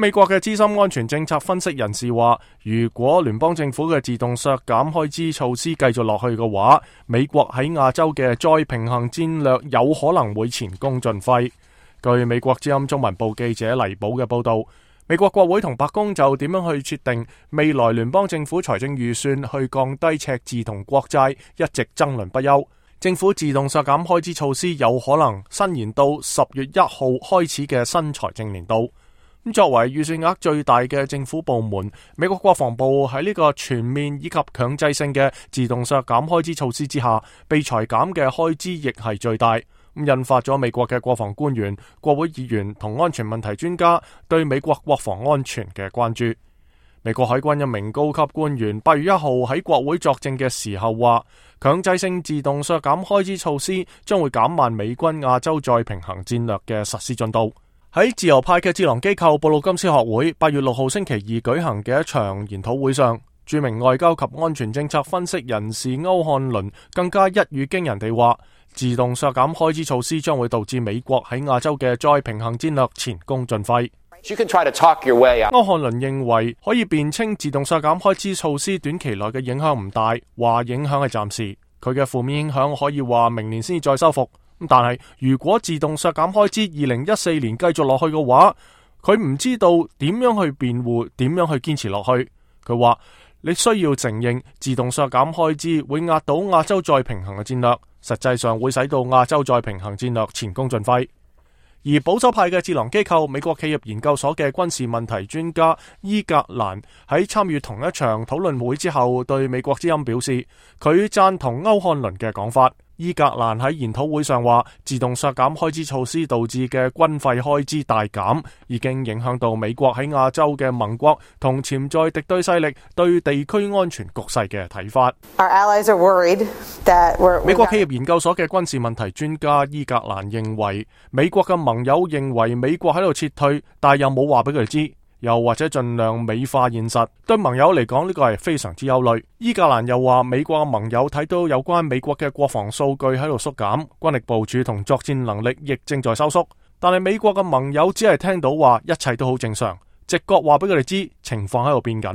美國嘅資深安全政策分析人士話，如果聯邦政府嘅自動削減開支措施繼續落去嘅話，美國喺亞洲嘅再平衡戰略有可能會前功盡廢。據美國之音中文部記者黎寶嘅報道，美國國會同白宮就點樣去決定未來聯邦政府財政預算去降低赤字同國債一直爭論不休。政府自動削減開支措施有可能伸延到10月1號開始嘅新財政年度。作為預算額最大嘅政府部門，美國國防部喺呢個全面以及強制性嘅自動削減開支措施之下，被裁減嘅開支亦係最大。引發咗美國嘅國防官員、國會議員同安全問題專家對美國國防安全嘅關注。美國海軍一名高級官員8月1號喺國會作證嘅時候話，強制性自動削減開支措施將會減慢美軍亞洲再平衡戰略嘅實施進度。喺自由派嘅智囊機構布魯金斯學會8月6號星期二舉行嘅一場研討會上，著名外交及安全政策分析人士歐漢倫更加一語驚人地話，自動削減開支措施將會導致美國喺亞洲嘅再平衡戰略前功盡廢。歐漢倫認為可以辯稱自動削減開支措施短期內嘅影響唔大，話影響係暫時，佢嘅負面影響可以話明年先至再修復。但係如果自動削減開支2014年繼續落去嘅話，佢唔知道點樣去辯護，點樣去堅持落去。佢話你需要承認自動削減開支會壓倒亞洲再平衡嘅戰略，實際上會使到亞洲再平衡戰略前功盡廢。而保守派嘅智囊機構美國企業研究所嘅軍事問題專家伊格蘭喺參與同一場討論會之後，對美國之音表示，佢贊同歐漢倫嘅講法。伊格蘭喺研討會上話，自動削減開支措施導致嘅軍費開支大減，已經影響到美國喺亞洲嘅盟國同潛在敵對勢力對地區安全局勢嘅睇法。美國企業研究所嘅軍事問題專家伊格蘭認為，美國嘅盟友認為美國喺度撤退，但又冇話俾佢哋知，又或者盡量美化現實，對盟友嚟講呢個係非常之憂慮。伊格蘭又話，美國嘅盟友睇到有關美國嘅國防數據喺度縮減，軍力部署同作戰能力亦正在收縮，但係美國嘅盟友只係聽到話一切都好正常，直覺話俾佢哋知情況喺度變緊。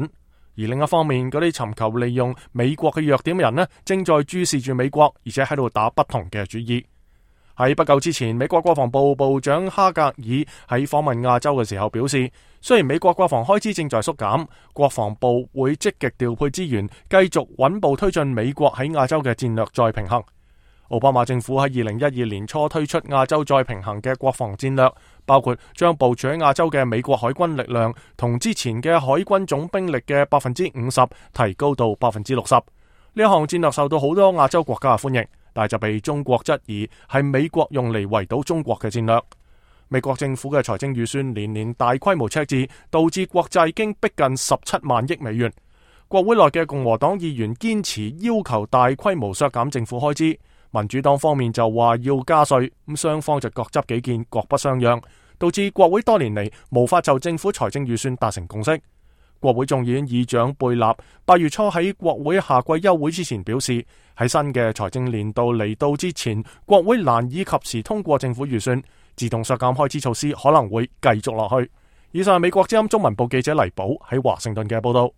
而另一方面，嗰啲尋求利用美國嘅弱點嘅人呢，正在注視住美國，而且喺度打不同嘅主意。喺不久之前，美國國防部部長哈格爾喺訪問亞洲嘅時候表示，雖然美國國防開支正在縮減，國防部會積極調配資源，繼續穩步推進美國喺亞洲嘅戰略再平衡。奧巴馬政府喺2012年初推出亞洲再平衡嘅國防戰略，包括將部署喺亞洲嘅美國海軍力量同之前嘅海軍總兵力嘅50%提高到60%。呢一項戰略受到好多亞洲國家嘅歡迎，但就被中國質疑係美國用嚟圍堵中國嘅戰略。美國政府嘅財政預算年年大規模赤字，導致國債經逼近17萬億美元。國會內嘅共和黨議員堅持要求大規模削減政府開支，民主黨方面就話要加稅，咁雙方就各執己見，各不相讓，導致國會多年嚟無法就政府財政預算達成共識。國會眾議院議長貝納8月初喺國會夏季休會之前表示，喺新嘅財政年度嚟到之前，國會難以及時通過政府預算，自動削減開支措施可能會繼續落去。以上係美國之音中文部記者黎寶喺華盛頓嘅報道。